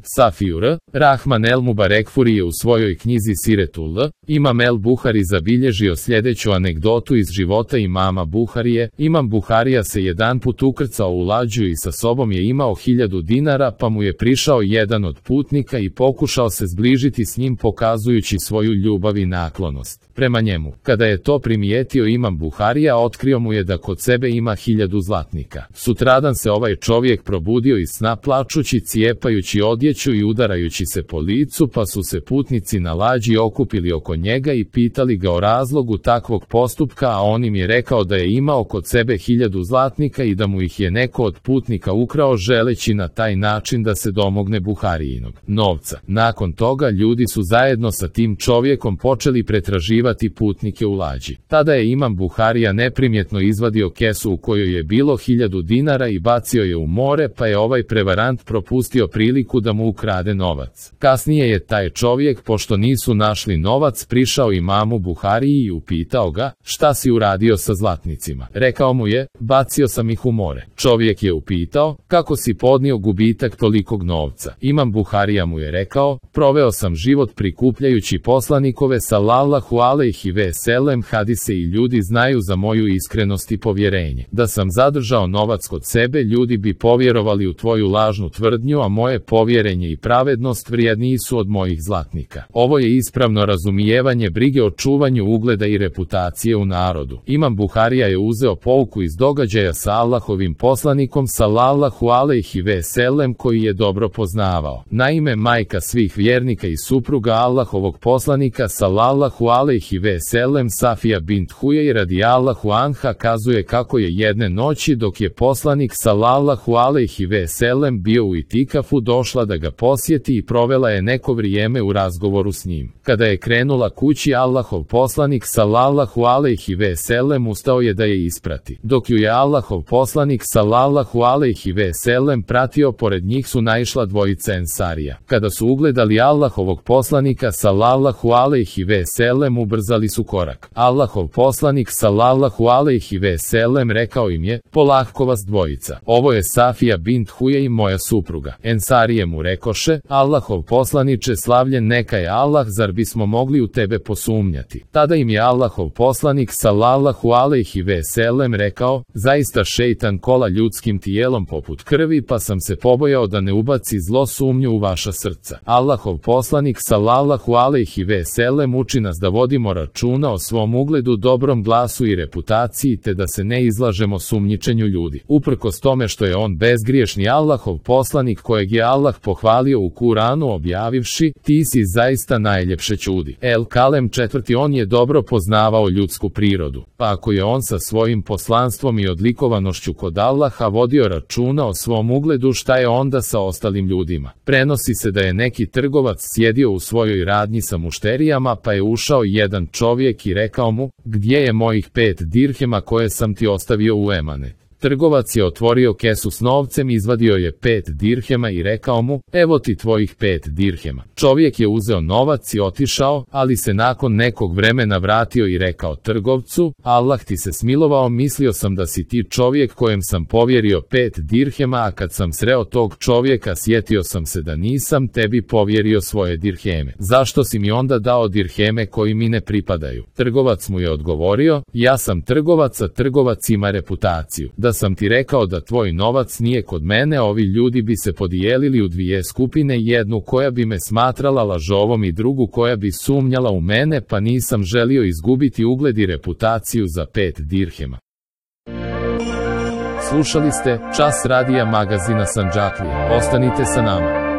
Safijur, Rahman el Mubarekfuri je u svojoj knjizi Siretul Imam el Buhari zabilježio sljedeću anegdotu iz života imama Buharije. Imam Buharija se jedanput ukrcao u lađu i sa sobom je imao 1000 dinara, pa mu je prišao jedan od putnika i pokušao se zbližiti s njim pokazujući svoju ljubav i naklonost prema njemu. Kada je to primijetio imam Buharija, otkrio mu je da kod sebe ima 1000 zlatnika. Sutradan se ovaj čovjek probudio iz sna plačući, cijepajući odjeću i udarajući se po licu, pa su se putnici na lađi okupili oko njega i pitali ga o razlogu takvog postupka, a on im je rekao da je imao kod sebe 1000 zlatnika i da mu ih je neko od putnika ukrao, želeći na taj način da se domogne Buharijinog novca. Nakon toga ljudi su zajedno sa tim čovjekom počeli pretraživati putnike u lađi. Tada je imam Buharija neprimjetno izvadio kesu u kojoj je bilo 1000 dinara i bacio je u more, pa je ovaj prevarant propustio priliku da mu ukrade novac. Kasnije je taj čovjek, pošto nisu našli novac, prišao imamu Buhariji i upitao ga: šta si uradio sa zlatnicima? Rekao mu je: bacio sam ih u more. Čovjek je upitao: kako si podnio gubitak tolikog novca? Imam Buharija mu je rekao: proveo sam život prikupljajući poslanikove sallallahu alejhi ve sellem hadise i ljudi znaju za moju iskrenost i povjerenje. Da sam zadržao novac kod sebe, ljudi bi povjerovali u tvoju lažnu tvrdnju, a moje povjerenje i pravednost vrijedniji su od mojih zlatnika. Ovo je ispravno razumijevanje brige o čuvanju ugleda i reputacije u narodu. Imam Buharija je uzeo pouku iz događaja sa Allahovim poslanikom sallallahu alejhi ve sellem, koji je dobro poznavao. Naime, majka svih vjernika i supruga Allahovog poslanika sallallahu alejhi ve sellem, Safija bint Huyej radijallahu anha, kazuje kako je jedne noći, dok je poslanik sallallahu alejhi ve sellem bio u itikafu, došla da ga posjeti i provela je neko vrijeme u razgovoru s njim. Kada je krenula kući, Allahov poslanik sallallahu alejhi ve sellem ustao je da je isprati. Dok ju je Allahov poslanik sallallahu alejhi ve sellem pratio, pored njih su naišla dvojica ensarija. Kada su ugledali Allahovog poslanika sallallahu alejhi ve sellem, ubrzali su korak. Allahov poslanik sallallahu alejhi ve sellem rekao im je: polahko vas dvojica, ovo je Safija bint Huyej, moja supruga. Ensarije mu rekoše: Allahov poslaniče, slavljen neka je Allah, zar bismo mogli u tebe posumnjati? Tada im je Allahov poslanik sallallahu alejhi ve sellem rekao: zaista šejtan kola ljudskim tijelom poput krvi, pa sam se pobojao da ne ubaci zlo sumnju u vaša srca. Allahov poslanik sallallahu alejhi ve sellem uči nas da vodimo računa o svom ugledu, dobrom glasu i reputaciji, te da se ne izlažemo sumnjičenju ljudi. Uprkos tome što je on bezgriješni Allahov poslanik kojeg je Allah pohvalio u Kuranu objavivši: ti si zaista najljepše čudi. El Kalem 4. On je dobro poznavao ljudsku prirodu, pa ako je on sa svojim poslanstvom i odlikovanošću kod Allaha vodio računa o svom ugledu, šta je onda sa ostalim ljudima? Prenosi se da je neki trgovac sjedio u svojoj radnji sa mušterijama, pa je ušao jedan čovjek i rekao mu: gdje je mojih 5 dirhema koje sam ti ostavio u emanet? Trgovac je otvorio kesu s novcem, izvadio je 5 dirhema i rekao mu: evo ti tvojih 5 dirhema. Čovjek je uzeo novac i otišao, ali se nakon nekog vremena vratio i rekao trgovcu: Allah ti se smilovao, mislio sam da si ti čovjek kojem sam povjerio 5 dirhema, a kad sam sreo tog čovjeka sjetio sam se da nisam tebi povjerio svoje dirheme. Zašto si mi onda dao dirheme koji mi ne pripadaju? Trgovac mu je odgovorio: ja sam trgovac, a trgovac ima reputaciju. Da sam ti rekao da tvoj novac nije kod mene, ovi ljudi bi se podijelili u dvije skupine, jednu koja bi me smatrala lažovom i drugu koja bi sumnjala u mene, pa nisam želio izgubiti ugled i reputaciju za 5 dirhema. Slušali ste Čas radija magazina Sandžaklija. Ostanite sa nama.